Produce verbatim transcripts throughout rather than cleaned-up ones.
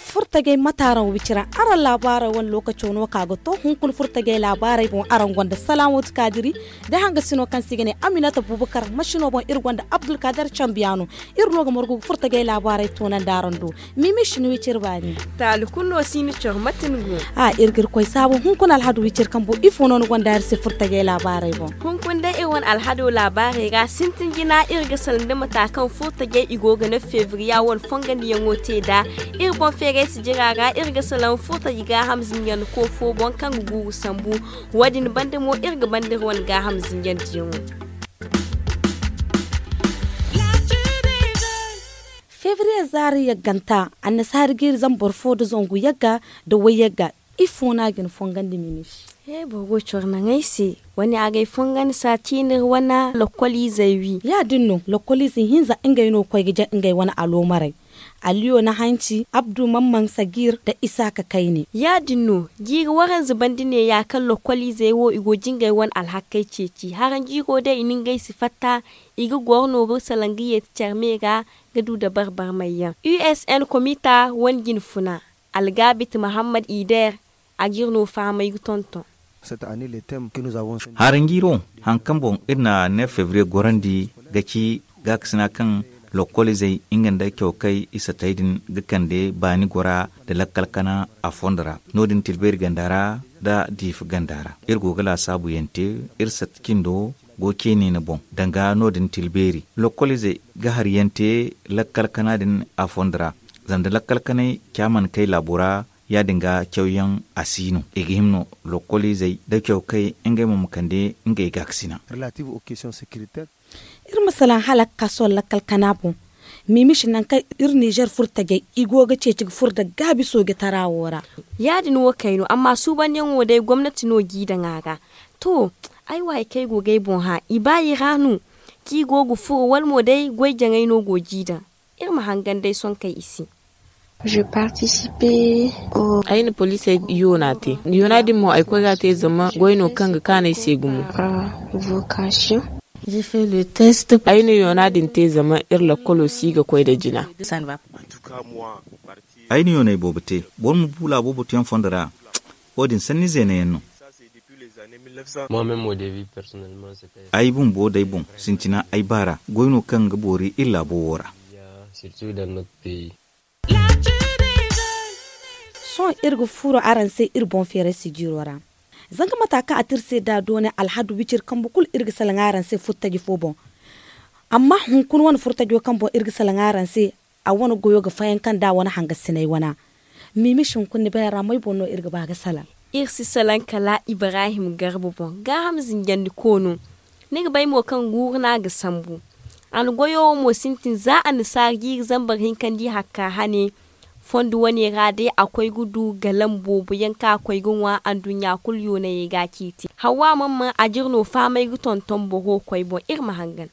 Furtajey mate araŋ wicira araŋ laabaarey wane lookaco no ka ga to hunkuna furtajey laabaarey boŋ araŋ gonda salaamooti kaadiri, da hangasino kaŋ se i ga ne aminata buubakar masino boŋ iri gonda abdulkaadar cambiyaano. Iri no ga margu ga furtajey laabaarey toonandi araŋ do. Miimi si ni wiciri baani. Taali kulu no si ni coro mate ni go. A iri ga iri koy saabu hunkuna alhadu wiciri kambo ifo no ni gonda iri se furtajey laabaarey boŋ? Hunkuna day iri wane alhado laabaarey ra sintin jina iri ga salaŋ da mata kaŋ furtajey i go ga ne febriya wane fongandiyaŋo te nd'a. Iri boŋ feeray si jira ra iri ga salaŋ furtaji gaaham zinjandiko fo boŋ kaŋ ga guuru sambu. Wo- din banda mo iri ga banda iri wane gaaham zinjandiyaŋo. Febriye zaari yagganta annasaari ga iri zama boro fo nda zangu yagga nda way yagga. Ifo no a ga ni fongandi mimi se? He boro go coro naŋ ay se. Wane a ga ay fongandi saati no iri wane lokoliizey wi. Ya- din no lokoliize hinza ngey no ga koy ga jaŋ ngey wane aloomarey. Aliyo na hanci abdu mamman sagir nda isaaka kayne. Ya- din no jiiri waranza banda neeya kaŋ lokoliizey wo i go ga jingay wane alhakey ceeci haranjiiro day i na ngey si fatta. I ga goro no ga salaŋ ga yeeti care me ra ga du dabari barmayyaŋ. Usn komita wane jine funa algaabit mahammad ider. A ga iri no fahamay ga tonton. Haranjiiro haŋ kaŋ boŋ iri na ne febriye gorandi ga ci gaakasina kaŋ lokoliizey nga nda cawkay isa tay din ga kande baani gora nda lakkal kana a fondo ra. No- din tilbeeri ganda ra nda diifa ganda ra iri go ga laasaabu yaŋ te. Iri sat cindo go ceeni ni boŋ danga no- din tilbeeri lokoliizey ga hari yaŋ te lakkal kana din a fondo ra. Zama da lakkal kanay ca mana kay laabo ra ya- din ga cawyaŋ a si no i ga hima no lokoliizey nda cawkay ngey mo ma kande ngey gaakasina. Iri ma salaŋ hala ga ka sohõ lakkal kana boŋ. Miimi si naŋ kaŋ iri nizer furtajey i go ga ceeci ga furo nda gaabi soojatara wo ra. Ya- din wo kay no amma suubandiyaŋo day gomnati no g'i daŋ a ra. To, ay wo hari kaŋ ay go ga ay boŋ hã i ba i ra no kaŋ i go ga furo wala mo day goy jaŋay no go g'i daŋ. Iri ma hangan day sonkey i se. Ay na poliisey yoona te. Yoona din mo ay koy ga a te zama goy no kaŋ ga kaanu ay se gumo. Ay na yoona din te zama iri lakkolo si ga koy nda jina. Ay na yoonay boobo te boro ma bu laabo batuyaŋ fondo ra. Wo- din sanni zeena yaŋ no. Ay bumbo day boŋ sintina ay baara goy no kaŋ ga boori iri laabo wo ra. Sohõ iri ga furo araŋ se iri boŋ feeray sijiiro ra. Zanga mata kaŋ a te iri se da doone alhadu wiciri kambe kulu iri ga salaŋ araŋ se furtaji fo boŋ. Amma hunkuna wane furtajo kaŋ boŋ iri ga salaŋ araŋ se a wane goyo ga fayanka nda a wane hangasinay wana. Miimi si hunkuna ni bayra may boŋ no iri ga ba ga salaŋ? Iri si salaŋ kala ibrahim garba boŋ gaaham zinjandiko no. Ni ga bay mo kaŋ guuru no a ga sambu. A na goyo wo mo sintin za annasaara jiiri zambar hinka nda i hakka hane. Fondo wane ra day a koy ga du galam boobo yaŋ kaŋ a koy ga ŋwa anduɲɲa kulu yoonayey ga a ciiti hawa mamman a jire no fahamay ga tonton boro koy boŋ iri ma hangan.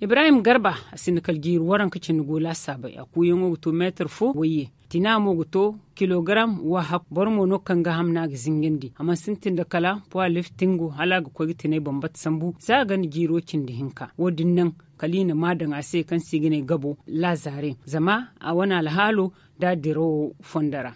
Ibrahim garba a sinda kala jiiri waranka cindi go laasaabey a kuuyaŋo ga to meetar fo wayye. Tina mo ga to kilogaram wahakku boro mo no kaŋ gaaham no a ga zingandi a mana sintin nda kala poids liftingo hala a ga koy ga tinay bambata sambu za a ganda jiiro cindi hinka wo- din naŋ kala i na ma daŋ a se kaŋ se i ga ne gabo laazare zama a wane alhaalo nda a dirawo fondo ra.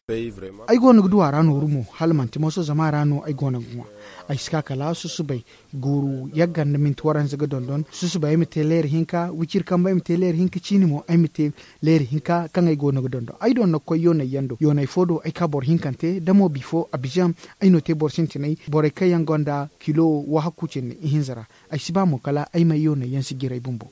Ay go no ga du a ra nooru mo hala manti moso zama a ra no ay go no ga ŋwa. Ay si ka kala susubay guuru yagga nda minti waranza ga dondon susubay ay ma te leera hinka wiciri kambe ay ma te leera hinka ciini mo ay ma te leera hinka kaŋ ay go no ga dondon ay do no ga koy yoonay yaŋ do yoonay fo do ay ka boro hinkante da mo bifo abijan. Ay no te boro sintinay borey kaŋ yaŋ gonda kilo wahakku cindi ihinza ra. Ay si ba mo kala ay may yoonay yaŋ si jiray bumbo.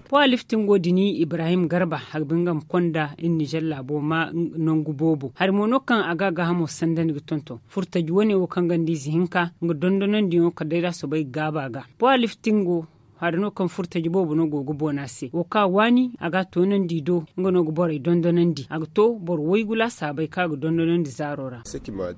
Poids liftingo din ibrahim garba harbi nga ma konda iri nizer laabo ma nangu boobo hari mo no kaŋ a ga a gaahamo sandandi ga tonton furtaji wane wo kaŋ ganda ize hinka nga dondonandiyaŋo kala day da a soobay ga gaaba ga. Poids liftingo Haada no kaŋ furtaje boobo no go ga boona se wo kaŋ a waani a ga a toonandi i do. Nga no ga borey dondonandi a ga to boro waygu laasaabey kaŋ a ga dondonandi zaaro ra.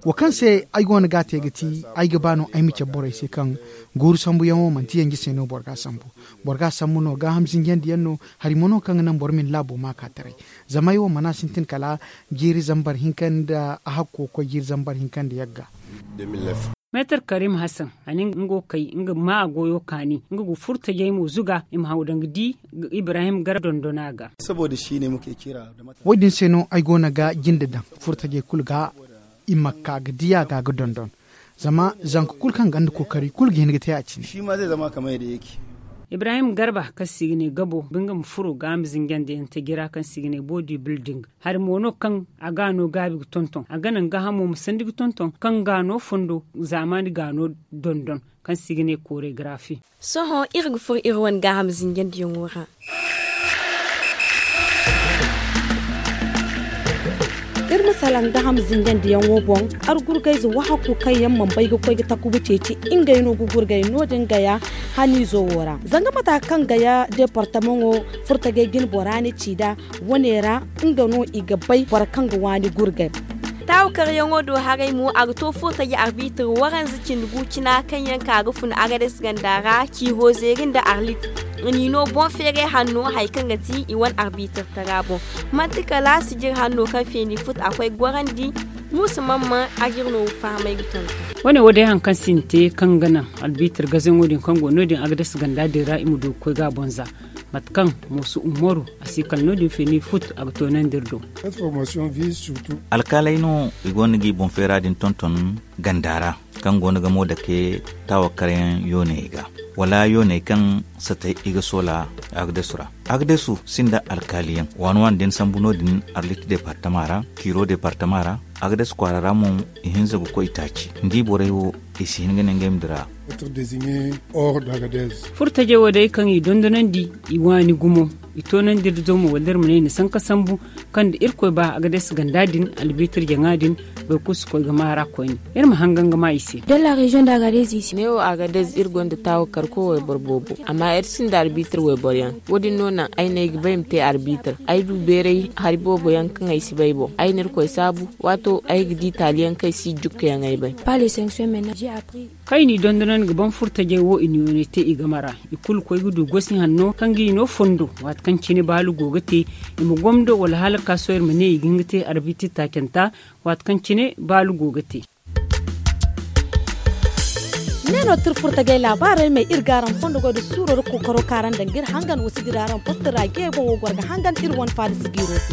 Wo kaŋ se ay go no ga a te ga ti ay ga ba no ay ma cabe borey se kaŋ guuru sambuyaŋo manti yanje se no boro ga a sambu. Boro ga a sambu no gaaham zinjandi yaŋ no. Hari mo no kaŋ ga naŋ boro ma ni laabo ma a ka taray. Zama ay wo mana sintin kala jiiri zambar hinka nda a hakko ga koy jiiri zambar hinka nda yagga. Meetar karim hasan a ne nga go ga kay nga ga ma a goyo kaani nga go furtajey mo zuga i ma haw daŋ ga di ibrahim gar dondona ga. Wo- din se no ay go no ga jinde daŋ furtajey kulu ga i ma ka ga di a ga ga dondon. Zama zanka kulu kaŋ ganda kookari kulu ga hin ga te a cine. Ibrahim garba kaŋ se i ga ne gabo ba nga ma furo ga a ma zinjandi yaŋ taji ra kaŋ se i ga ne boodi bilding. Hari mo no kaŋ a ga no gaabi ga tonton a ga naŋ gaahamo ma sandi ga tonton kaŋ ga no fondo zaamaani ga no dondon kaŋ se i ga ne koore garaafi. Sohõ iri ga furo iri wane gaaham zinjandiyaŋo ra. Iri ma salaŋ gaaham zinjandiyaŋo boŋ. Argurgayze wahakku kaŋ yaŋ mana bay ga koy ga takuba ceeci ngey no ga gurgay no- din gaya haniizo wo ra zanga mata kaŋ gaya deepartamaŋo furtagay jine bora ne ci nd'a. Wane ra nga no i ga bay boro kaŋ ga waani gurgay. Taawakaryaŋo do haray mo a ga to furtaje arbiitir waranza cindi gu cina kaŋ yaŋ ka ga fun agades ganda ra ciiho zeeri nda arlit. I n'i no boŋ feeray hanno hari kaŋ ga ti i wane arbiitir tara boŋ. Manti kala sijir hanno kaŋ feeni fut a koy gorandi. Muusa mamman a ga iri no fahamay ga tonton. Wane wo day hari kaŋ sintin kaŋ ga naŋ arbiitir gazaŋo din kaŋ go no- din agades ganda din ra i ma du ga koy ga a boŋ za. Mate kaŋ muusa umaru a si kala no- din feeni fut a ga toonandi iri do. Alkaaley no i go no ga i boŋ feera din tonton ganda ra kaŋ go no ga mo dake taawakaryaŋ yooney ga wala yooney kaŋ satay i ga soola. Agdesu ra agdesu sinda alkaaliyaŋ waani waani din sambu no- din arlit deepartama ra kiiro deepartama ra. Agdesu kwaara ra mo i hinza ga koy taaci ni di borey wo i si hin ga ne ngey ma dira. Furtajey wo day kaŋ i dondonandi i waani gumo i toonandi iri do mo wala iri ma ne i na sanka sambu kaŋ da irkoy ba agades ganda din albiitir jaŋa din. Boro kulu si koy ga maara koyne iri ma hangan ga ma i se. Neewo agades iri gonda taawo karko wayboro boobo amma iri sinda albiitir wayboro yaŋ. Wo- din no naŋ ay ne ay ga ba ay ma te albiitir ay du beeray hari boobo yaŋ kaŋ ay si bay boŋ ay na irkoy saabu. Waato ay ga di taali yaŋ kaŋ ay si jukka yaŋ ay bay. Kaŋ i n'i dondonandi ga ban furtajey wo i n'i wane te i game ra. I kulu koy ga du gosi hanno kaŋ ga i no fondo waati kaŋ cine baalu go ga te i ma gomdo wala hala ga ka sohõ iri ma ne i ga hin ga te arbiitir taacanta. Waati kaŋ cine baalu go ga te. Ne no tirfurtagay laabaarey me iri ga araŋ fondo goy da suuro da kookaro kaŋ araŋ daŋ ga iri hangan wa si dira araŋ poste ra jeyey boŋ wo goro ga hangan iri wane faada sijiiro se.